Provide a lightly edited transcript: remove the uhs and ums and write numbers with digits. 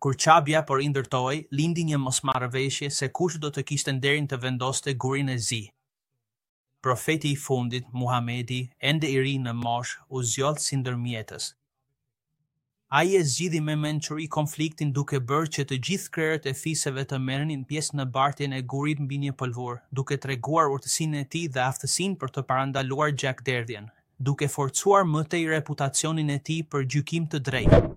Kur Qabja po rindërtohej, lindi një mosmarrëveshje se kush do të kishte nderin të vendoste gurin e zi. Profeti i fundit, Muhamedi, ende i ri në moshë, u zgjodh si ndërmjetës. Ai e zgjidhi me mençuri konfliktin duke bërë që të gjithë krerët e fiseve të merrnin pjesë në bartjen e gurit mbi një pëlhurë, duke treguar urtësinë e tij dhe aftësinë për të parandaluar gjakderdhjen, duke forcuar më tej reputacionin e tij për gjykim të drejtë.